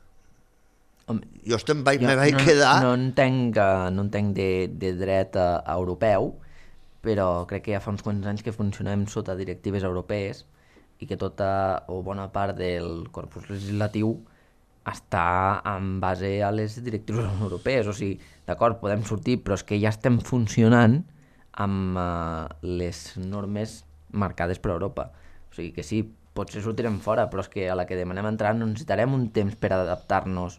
Home, jo estem, vaig, jo me vaig no, quedar... No entenc, no entenc de, de dret a, a europeu, però crec que ja fa uns quants anys que funcionem sota directives europees i que tota o bona part del corpus legislatiu està en base a les directives europees. O sigui, d'acord, podem sortir, però és que ja estem funcionant amb uh, les normes marcades per Europa. O sigui que sí, potser sortirem fora, però és que a la que demanem entrar no necessitarem un temps per adaptar-nos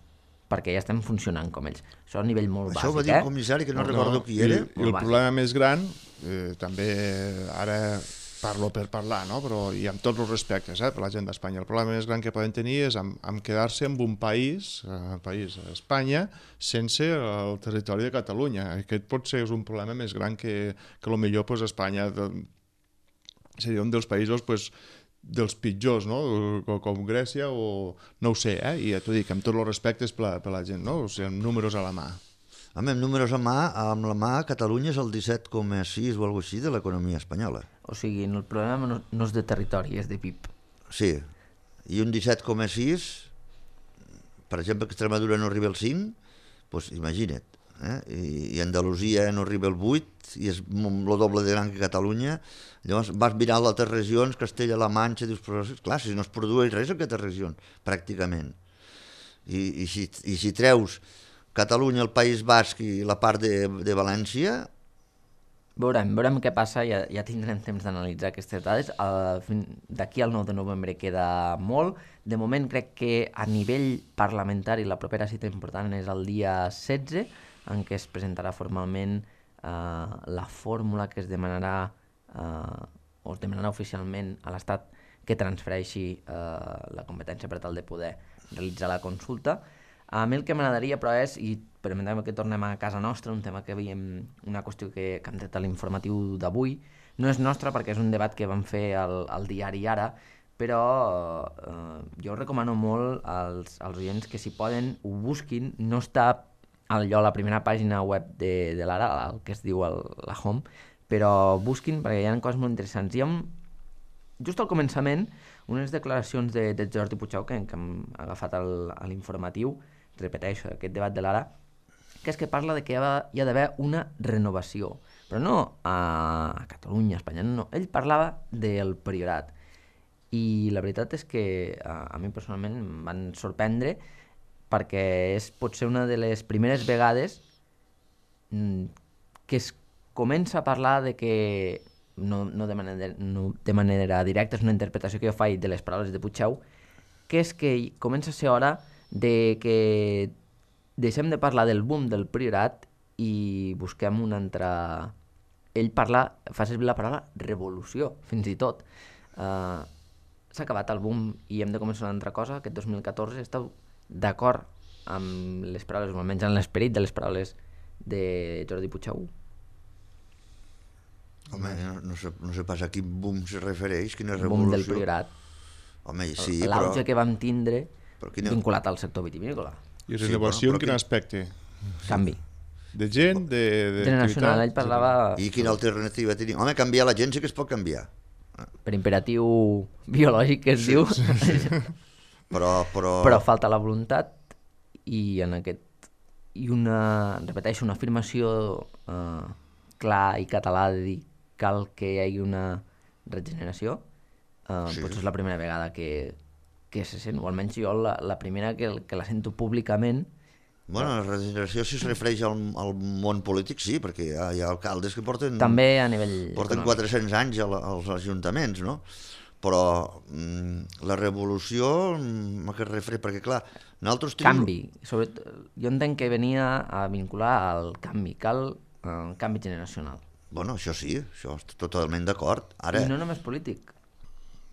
perquè ja estem funcionant com ells. Això a nivell molt Això bàsic, eh? Això ho va dir el comissari, que no, no recordo qui era. I, i el problema més gran, eh, també ara parlo per parlar, no? Però i amb tots els respectes eh, per la gent d'Espanya, el problema més gran que poden tenir és amb, amb quedar-se en un país, el país Espanya, sense el territori de Catalunya. Aquest pot ser un problema més gran que, que potser pues, Espanya de, seria un dels països pues, dels pitjors, no? Com Grècia o... no ho sé, eh? I ja t'ho dic, amb tots els respectes per la, per la gent, no? O sigui, amb números a la mà. Amb números a mà, amb la mà, Catalunya és el disset coma sis o alguna cosa així de l'economia espanyola. O sigui, el problema no, no és de territori, és de P I B. Sí, i un disset coma sis, per exemple, que Extremadura no arriba al cinc, doncs imagina't. eh? I, i Andalusia no arriba al vuit i és el doble de gran que Catalunya. Llavors vas mirar a altres regions, Castella-La Manxa, dius, però clar, si no es produeix res en aquestes regions, pràcticament. I, i, si, i si treus Catalunya, el País Basc i la part de, de València... Veurem, veurem què passa, ja, ja tindrem temps d'analitzar aquestes dades. D'aquí al nou de novembre queda molt. De moment crec que a nivell parlamentari la propera cita important és el dia setze, en què es presentarà formalment eh, la fórmula que es demanarà, eh, o es demanarà oficialment a l'Estat que transfereixi eh, la competència per tal de poder realitzar la consulta. A mi el que m'agradaria, però, és, i permetem que tornem a casa nostra, un tema que veiem, una qüestió que, que hem tret a l'informatiu d'avui, no és nostra perquè és un debat que vam fer al, al diari Ara, però eh, jo recomano molt als, als oients que si poden ho busquin, no està allò a la primera pàgina web de, de l'Ara, el que es diu el, la home, però busquin perquè hi ha coses molt interessants. Hi ha un, just al començament unes declaracions de, de Jordi Pujau que, que hem agafat al, a l'informatiu, repeteixo, aquest debat de l'Ara, que és que parla de que hi ha, hi ha d'haver una renovació, però no a, a Catalunya, a Espanya, no, ell parlava del Priorat, i la veritat és que a, a mi personalment em van sorprendre perquè és potser una de les primeres vegades que es comença a parlar de que no, no, de manera, no de manera directa, és una interpretació que jo faig de les paraules de Pujau, que és que comença a ser hora de que deixem de parlar del boom del Priorat i busquem una altra... Ell parla, fa servir la paraula revolució, fins i tot. Uh, s'ha acabat el boom i hem de començar una altra cosa. Aquest dos mil catorze esteu d'acord amb les paraules, o almenys en l'esperit de les paraules de Jordi Pujau? Home, no, no, sé, no sé pas a quin boom se refereix, quina revolució. Boom del Priorat. Home, sí, l'auge però... que vam tindre quina... vinculat al sector vitivinícola. I renovació sí, en quin quin... aspecte? Canvi. De gent, de... de generacional, ell parlava... I quina alternativa tenim? Home, canviar la gent sí que es pot canviar. Per imperatiu biològic, que es sí, diu. Sí, sí. però, però... però falta la voluntat i en aquest... I una, repeteixo, una afirmació eh, clar i català de dir cal que hi hagi una regeneració. Uh, sí. Potser és la primera vegada que, que se sent, o almenys jo la, la primera que, que la sento públicament. Bueno, la regeneració si es refereix al, al món polític, sí, perquè hi ha, hi ha alcaldes que porten... També a nivell porten econòmic. quatre-cents anys al, als ajuntaments, no? Però mm, la revolució, mm, a què es refereix? Perquè, clar, nosaltres tenim... Canvi. Sobretot, jo entenc que venia a vincular al canvi, cal uh, canvi generacional. Bueno, això sí, això estic totalment d'acord. Ara... I no només polític.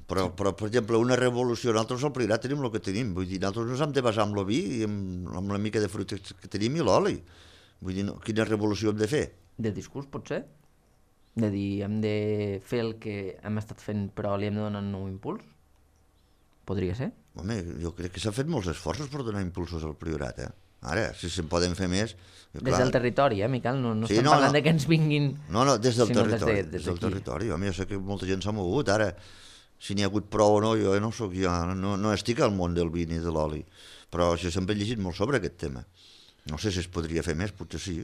Però, però, per exemple, una revolució, nosaltres al Priorat tenim el que tenim, vull dir, nosaltres ens hem de basar en el vi i amb, amb la mica de fruita que tenim i l'oli. Vull dir, no, quina revolució hem de fer? De discurs, potser? De dir, hem de fer el que hem estat fent però li hem de donar un nou impuls? Podria ser? Home, jo crec que s'han fet molts esforços per donar impulsos al Priorat, eh? Ara, si se'n poden fer més... Clar... Des del territori, eh, Miquel? No, no sí, estem no, parlant no. de que ens vinguin... No, no, des del territori. Des, de, des, des del territori. Home, jo sé que molta gent s'ha mogut. Ara, si n'hi ha hagut prou o no, jo no soc ja... No, no estic al món del vi ni de l'oli. Però jo sempre he llegit molt sobre aquest tema. No sé si es podria fer més, potser sí.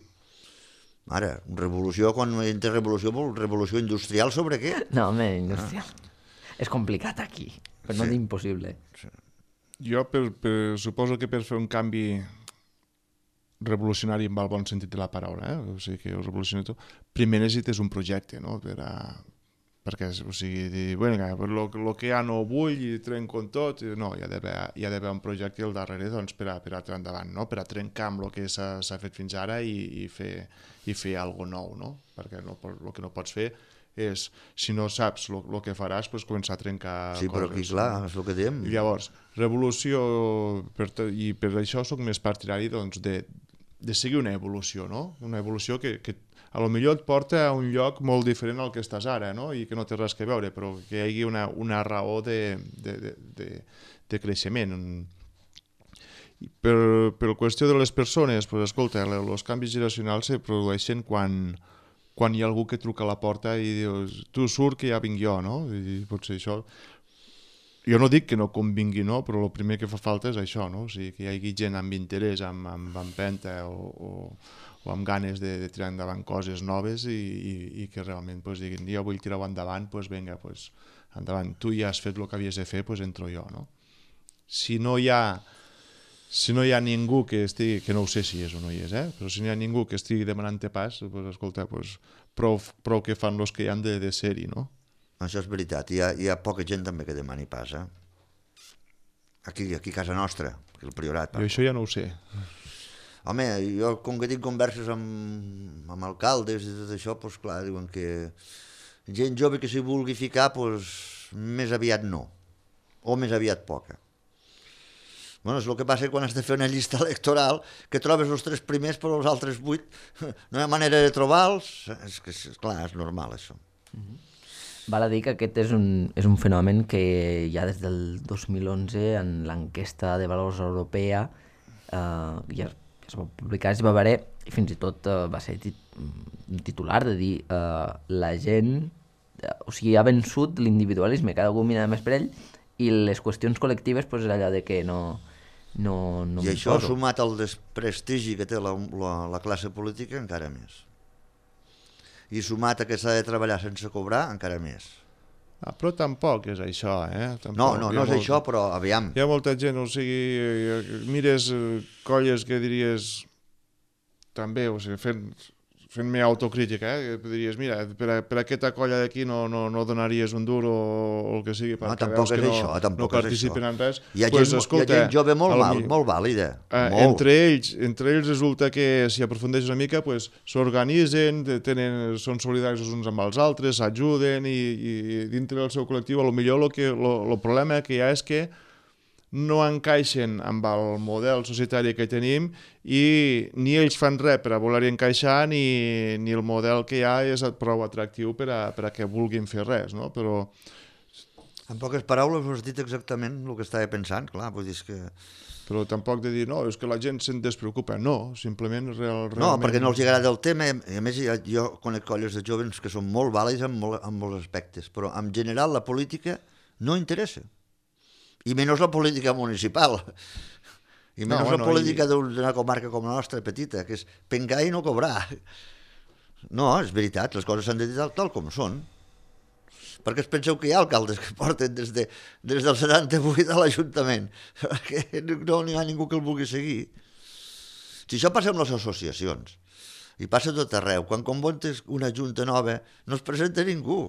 Ara, revolució, quan entra revolució, vol revolució industrial sobre què? No, home, industrial. Ah. És complicat aquí, però no sí. D'impossible. Sí. Jo per, per, suposo que per fer un canvi revolucionari en el bon sentit de la paraula, eh? O sigui que ho revolucioni tot, primer necessites un projecte, no? Per a... perquè, o sigui, dir, bueno, el que ja no vull i trenco en tot, no, hi ha d'haver un projecte al darrere doncs, per, a, per a tirar endavant, no? Per a trencar amb el que s'ha fet fins ara i, i fer, i fer alguna nou, no? Perquè no, el que no pots fer és, si no saps el que faràs, pues, començar a trencar sí, coses. Sí, però aquí, clar, és el que diem. I llavors, revolució, per, i per això soc més partidari doncs, de, de seguir una evolució, no? Una evolució que, que a lo millor et porta a un lloc molt diferent al que estàs ara, no? I que no té res a veure, però que hi hagi una, una raó de, de, de, de, de creixement. I per, per qüestió de les persones, pues, escolta, els canvis generacionals se produeixen quan... quan hi ha algú que truca a la porta i dius, tu surt que ja vinc jo, no? I potser això... Jo no dic que no convingui, no? Però el primer que fa falta és això, no? O sigui, que hi hagi gent amb interès, amb, amb empenta o, o, o amb ganes de, de tirar endavant coses noves i, i, i que realment pues, diguin, jo vull tirar-ho endavant, pues, vinga, pues, endavant, tu ja has fet el que havies de fer, pues, entro jo, no? Si no hi ha si no hi ha ningú que estigui, que no ho sé si és o no hi és, eh? Però si no hi ha ningú que estigui demanant-te pas, pues, escolta, pues, prou, prou que fan els que hi han de, de ser-hi, no? Això és veritat, hi ha, hi ha poca gent també que demani pas, eh? Aquí, aquí a casa nostra, aquí al Priorat. Jo això ja no ho sé. Home, jo com que tinc converses amb, amb alcaldes i tot això, doncs clar, diuen que gent jove que s'hi vulgui ficar, doncs més aviat no, o més aviat poca. Bueno, és el que passa quan has de fer una llista electoral, que trobes els tres primers però els altres vuit, no hi ha manera de trobar-los, és que, clar, és normal això. Mm-hmm. Val a dir que aquest és un, és un fenomen que ja des del dos mil onze en l'enquesta de valors europea eh, ja es va publicar, es va veure i fins i tot eh, va ser tit, titular de dir eh, la gent, eh, o sigui, ha vençut l'individualisme, cada algú mira més per ell i les qüestions col·lectives pues, és allò de que no, no, no I això poso. sumat al desprestigi que té la, la, la classe política encara més. I sumat a que s'ha de treballar sense cobrar, encara més. Ah, però tampoc és això, eh? Tampoc. No, no, no és molt... això, però aviam. Hi ha molta gent, o sigui, mires colles que diries també, o sigui, fent, fent-me autocrítica, eh? Que diries, mira, per, a, per aquesta colla d'aquí no, no, no donaries un dur o, o el que sigui, perquè no, tampoc veus que és no, això, tampoc no participen en res. Hi ha, pues, gent, escolta, hi ha gent jove molt, el, val, molt vàlida. Eh, molt. Entre ells, entre ells resulta que si aprofundeix una mica pues, s'organitzen, tenen, són solidaris els uns amb els altres, s'ajuden i, i dintre del seu col·lectiu potser el, que, lo, el problema que hi ha és que no encaixen amb el model societari que tenim i ni ells fan res per a voler encaixar ni, ni el model que hi ha és prou atractiu per a, per a que vulguin fer res, no? Però... En poques paraules ho has dit exactament el que estava pensant, clar, vull dir que... Però tampoc de dir, no, és que la gent se'n despreocupa, no, simplement real, realment... No, perquè no els agrada el tema, i a més jo conec colles de jovens que són molt vàlids en, molt, en molts aspectes, però en general la política no interessa. I menys la política municipal, i menys no, bueno, la política i... d'una comarca com la nostra, petita, que és pengar i no cobrar. No, és veritat, les coses s'han de dir tal, tal com són. Perquè es penseu que hi ha alcaldes que porten des, de, des del setanta-vuit a l'Ajuntament, perquè no n'hi ha ningú que el vulgui seguir. Si això passa amb les associacions, i passa tot arreu, quan convoques una junta nova no es presenta ningú.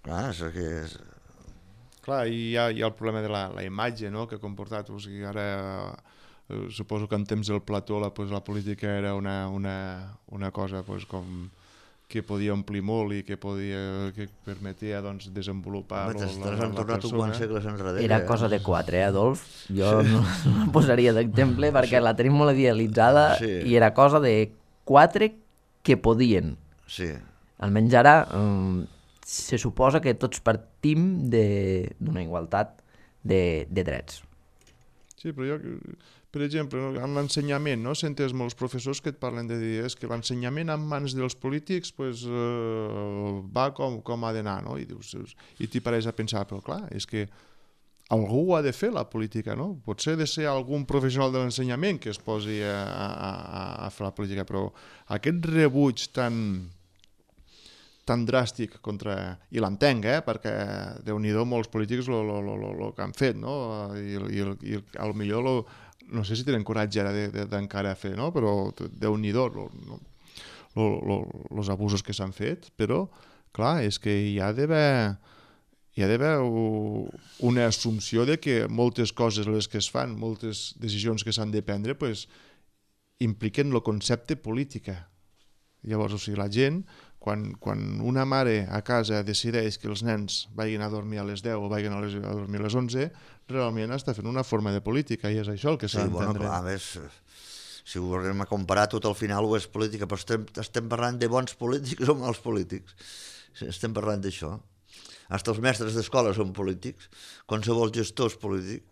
Clar, és que... És... Clar, i hi ha, hi ha el problema de la, la imatge, no?, que ha comportat. O sigui, ara eh, suposo que en temps del Plató la, pues, la política era una, una, una cosa pues, com que podia omplir molt i que podia que permetia doncs, desenvolupar Home, la, la, la, la persona. segles enrere, era cosa de quatre, eh, Adolf? Jo sí. no, no la posaria d'exemple perquè sí. la tenim molt idealitzada sí. i era cosa de quatre que podien. Sí. Almenys ara... Um, se suposa que tots partim d'una igualtat de, de drets. Sí, però jo, per exemple, en l'ensenyament, no? Sentes molts professors que et parlen de dir és que l'ensenyament en mans dels polítics pues, eh, va com, com ha d'anar, no? I dius, i t'hi pareix a pensar, però clar, és que algú ha de fer la política, no? Potser ha de ser algun professional de l'ensenyament que es posi a, a, a fer la política, però aquest rebuig tan... tan dràstic contra... I l'entenc, eh? Perquè Déu-n'hi-do molts polítics el que han fet, no? I, i, i al millor lo, no sé si tenen coratge ara d'encara fer, no? Però Déu-n'hi-do els abusos que s'han fet, però clar, és que hi ha d'haver hi ha d'haver una assumpció de que moltes coses les que es fan, moltes decisions que s'han de prendre, pues, impliquen el concepte política. Llavors, o sigui, la gent Quan, quan una mare a casa decideix que els nens vagin a dormir a les deu o vagin a, les, a dormir a les onze, realment està fent una forma de política i és això el que s'ha sí, d'entendre. Bueno, clar, a més, si ho anem a comparar, tot al final ho és política, però estem, estem parlant de bons polítics o mals polítics. Estem parlant d'això. Hasta els mestres d'escola són polítics, qualsevol gestor és polític.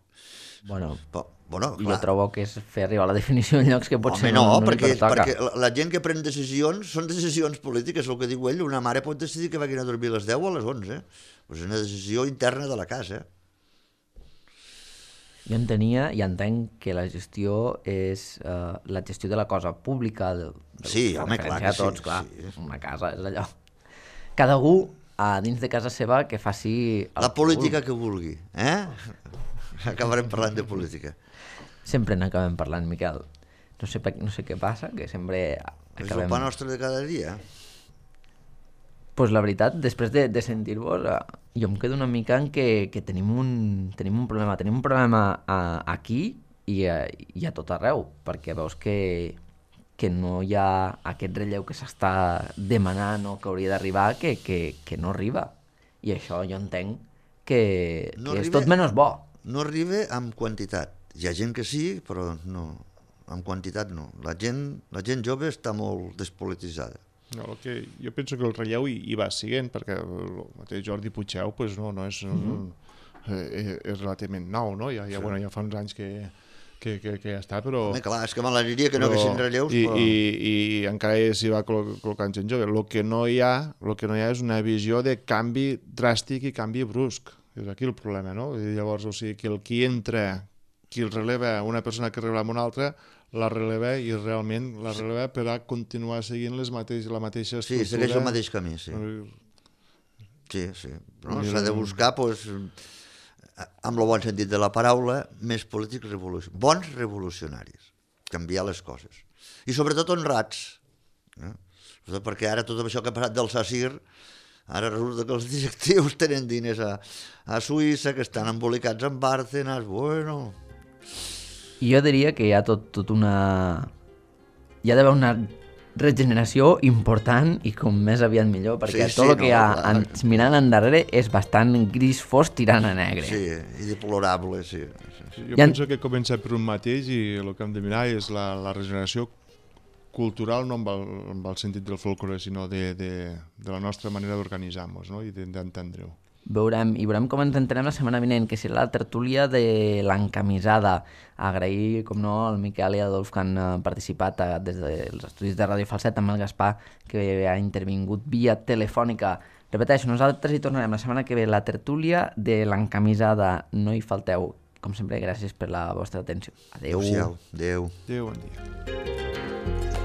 Bueno, però, bueno, jo trobo que és fer arribar la definició en llocs que potser Home, no, no, no perquè, li pertoca. perquè la gent que pren decisions són decisions polítiques, el que diu ell, una mare pot decidir que vagin a dormir a les deu o a les onze. Pues és una decisió interna de la casa. Jo entenia i entenc que la gestió és uh, la gestió de la cosa pública, de, de Sí, home, clar que a tots, sí, clar, sí. una casa és allò. Cada algú a dins de casa seva que faci... el La que política vulgui. que vulgui, eh? Acabarem parlant de política. Sempre n'acabem parlant, Miquel. No sé, per- no sé què passa, que sempre És el acabem... pa nostre de cada dia. Pues la veritat, després de, de sentir-vos, eh, jo em quedo una mica en que, que tenim, un, tenim un problema. Tenim un problema a, aquí i a, i a tot arreu, perquè veus que, que no hi ha aquest relleu que s'està demanant o que hauria d'arribar, que, que, que no arriba. I això jo entenc que, No que és arriba- tot menys bo. No arriba amb quantitat. Hi ha gent que sí, però no, amb quantitat no. La gent, la gent jove està molt despolititzada. No, el que, jo penso que el relleu hi, hi va siguent, perquè el mateix Jordi Puigdeu pues no, no és, mm -hmm. eh, és relativament nou, no? Ja, ja, sí. bueno, ja fa uns anys que, que, que, que ja està, però... Home, clar, és que m'agradaria que no haguessin relleus, i, però... I, i encara s'hi va col·lo- col·locant gent jove. El que no hi ha, el que no hi ha és una visió de canvi dràstic i canvi brusc. És aquí el problema, no? I llavors, o sigui, que el qui entra, qui el releva, una persona que releva una altra, la releva i realment la releva per a continuar seguint les mateix, la mateixa Sí, estructura. segueix el mateix camí, sí. Sí, sí. No? S'ha de buscar, doncs, amb el bon sentit de la paraula, més polítics revolucionaris, bons revolucionaris, canviar les coses. I sobretot honrats. No? Sobretot perquè ara tot això que ha passat del SACIR, ara resulta que els directius tenen diners a, a Suïssa, que estan embolicats en Bárcenas, bueno... I jo diria que hi ha tot, tot una... Hi ha d'haver una regeneració important i com més aviat millor, perquè Sí, tot sí, el que no, hi ha clar. en, mirant endarrere és bastant gris fos tirant a negre. Sí, i deplorable, sí. sí. Jo Ja- penso que comença per un mateix i el que hem de mirar és la, la regeneració cultural, no amb el, amb el sentit del folklore, sinó de, de, de la nostra manera d'organitzar-nos, no? I de- d'entendre-ho. Veurem, i veurem com ens entenem la setmana vinent, que serà la tertúlia de l'encamisada. Agrair, com no, al Miquel i a Adolf que han eh, participat eh, des dels estudis de Ràdio Falset, amb el Gaspar, que ha intervingut via telefònica. Repeteixo, nosaltres hi tornarem la setmana que ve, la tertúlia de l'encamisada. No hi falteu. Com sempre, gràcies per la vostra atenció. Adéu. Adéu-siau. Adéu. Adéu, bon dia.